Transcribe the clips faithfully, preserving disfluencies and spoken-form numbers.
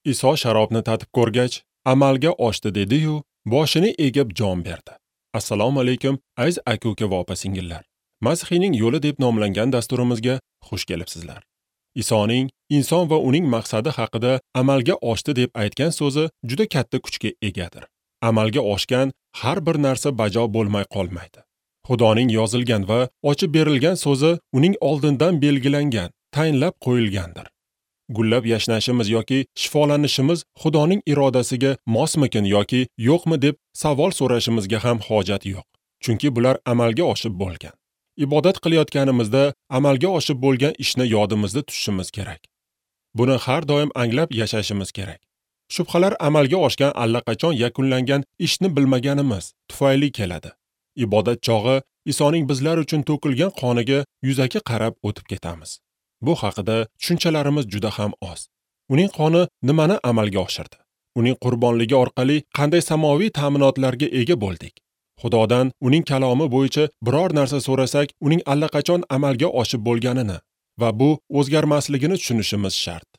Iso sharobni tatib ko'rgach, amalga oshdi dedi-yu, boshini egib jon berdi. Assalomu alaykum, aziz aka-uka va opa-singillar. Masihiyning yo'li deb nomlangan dasturimizga xush kelibsizlar. Isoning inson va uning maqsadi haqida amalga oshdi deb aytgan so'zi juda katta kuchga egadir. Amalga oshgan har bir narsa bajo bo'lmay qolmaydi. Xudoning yozilgan va ochib berilgan so'zi uning oldindan belgilangan, tayinlab qo'yilgandir. Gullab yashnashimiz yoki shifolanishimiz Xudoning irodasiga mosmikin yoki yo'qmi deb savol so'rashimizga ham hojat yo'q. Chunki bular amalga oshib bo'lgan. Ibodat qilayotganimizda amalga oshib bo'lgan ishni yodimizda tutishimiz kerak. Buni har doim anglab yashashimiz kerak. Shubhalar amalga oshgan allaqachon yakunlangan ishni bilmaganimiz tufayli keladi. Ibodat chog'i Isoning bizlar uchun to'kilgan qoniga yuzaki qarab o'tib ketamiz. Bu haqida tushunchalarimiz juda ham oz. Uning qoni nimani amalga oshirdi? Uning qurbonligi orqali qanday samoviy ta'minotlarga ega bo'ldik? Xudodan uning kalomi bo'yicha biror narsa so'rasak, uning allaqachon amalga oshib bo'lganini va bu o'zgarmasligini tushunishimiz shart.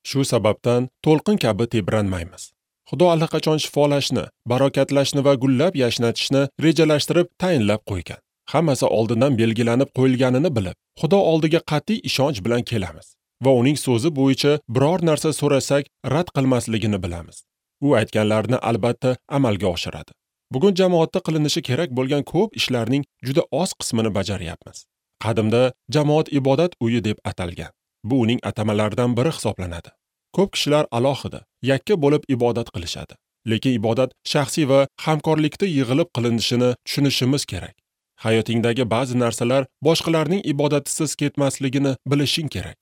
Shu sababdan to'lqin kabi tebranmaymiz. Xudo allaqachon shifolashni, barokatlashni va gullab yashnatishni rejalashtirib tayinlab qo'ygan. Hammasi oldindan belgilanib qo'yilganini bilib, Xudo oldiga qat'iy ishonch bilan kelamiz va uning so'zi bo'yicha biror narsa so'rasak, rad qilmasligini bilamiz. U aytganlarini albatta amalga oshiradi. Bugun jamoatda qilinishi kerak bo'lgan ko'p ishlarning juda oz qismini bajaryapmiz. Qadimda jamoat ibodat uyi deb atalgan. Bu uning atamalaridan biri hisoblanadi. Ko'p kishilar alohida, yakka bo'lib ibodat qilishadi. Lekin ibodat shaxsiy va hamkorlikda yig'ilib qilinishini tushunishimiz kerak. Hayotingdagi ba'zi narsalar boshqalarning ibodatisiz ketmasligini bilishing kerak.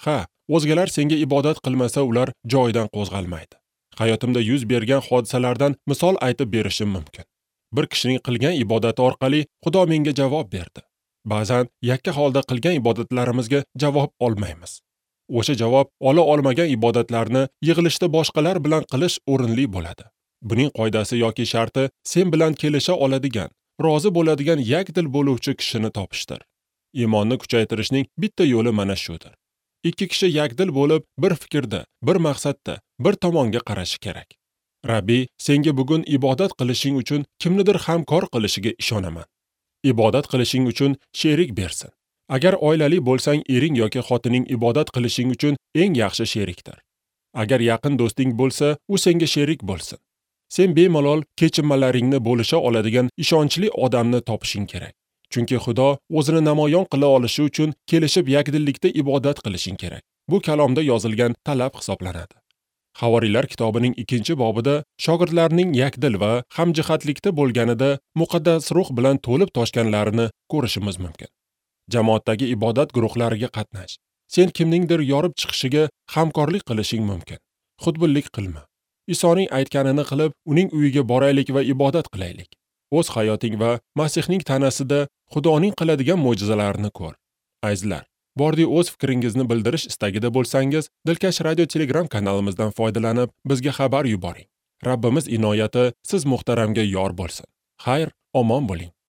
Ha, o'zgalar senga ibodat qilmasa, ular joyidan qo'zg'almaydi. Hayotimda yuz bergan hodisalardan misol aytib berishim mumkin. Bir kishining qilgan ibodati orqali Xudo menga javob berdi. Ba'zan yakka holda qilgan ibodatlarimizga javob olmaymiz. O'sha javob ola olmagan ibodatlarni yig'ilishda boshqalar bilan qilish o'rinli bo'ladi. Buning qoidasi yoki sharti sen bilan kelisha oladigan, rozi bo'ladigan yakdil bo'luvchi kishini topishdir. Iymonni kuchaytirishning bitta yo'li mana shudir. Ikki kishi yakdil bo'lib, bir fikrda, bir maqsadda, bir tomonga qarashi kerak. Rabbi senga bugun ibodat qilishing uchun kimnidir hamkor qilishiga ishonaman. Ibodat qilishing uchun sherik bersin. Agar oilali bo'lsang, ering yoki xotining ibodat qilishing uchun eng yaxshi sherikdir. Agar yaqin do'sting bo'lsa, u senga sherik bo'lsin. Sen bemalol kechinmalaringni bo'lisha oladigan ishonchli odamni topishing kerak. Chunki Xudo o'zini namoyon qila olishi uchun kelishib yakdillikda ibodat qilishing kerak. Bu kalomda yozilgan talab hisoblanadi. Havoriylar kitobining ikkinchi bobida shogirdlarning yakdil va hamjihatlikda bo'lganida muqaddas ruh bilan to'lib toshganlarini ko'rishimiz mumkin. Jamoatdagi ibodat guruhlariga qatnash. Sen kimningdir yorib chiqishiga hamkorlik qilishing mumkin. Xudbinlik qilma. Isoning aytganini qilib, uning uyiga boraylik va ibodat qilaylik. O'z hayoting va Masihning tanasida Xudoning qiladigan mo'jizalarini ko'r. Azizlar, bordi o'z fikringizni bildirish istagida bo'lsangiz, Dilkash Radio Telegram kanalimizdan foydalanib, bizga xabar yuboring. Rabbimiz inoyati siz muhtaramga yor bo'lsin. Xayr, omon bo'ling.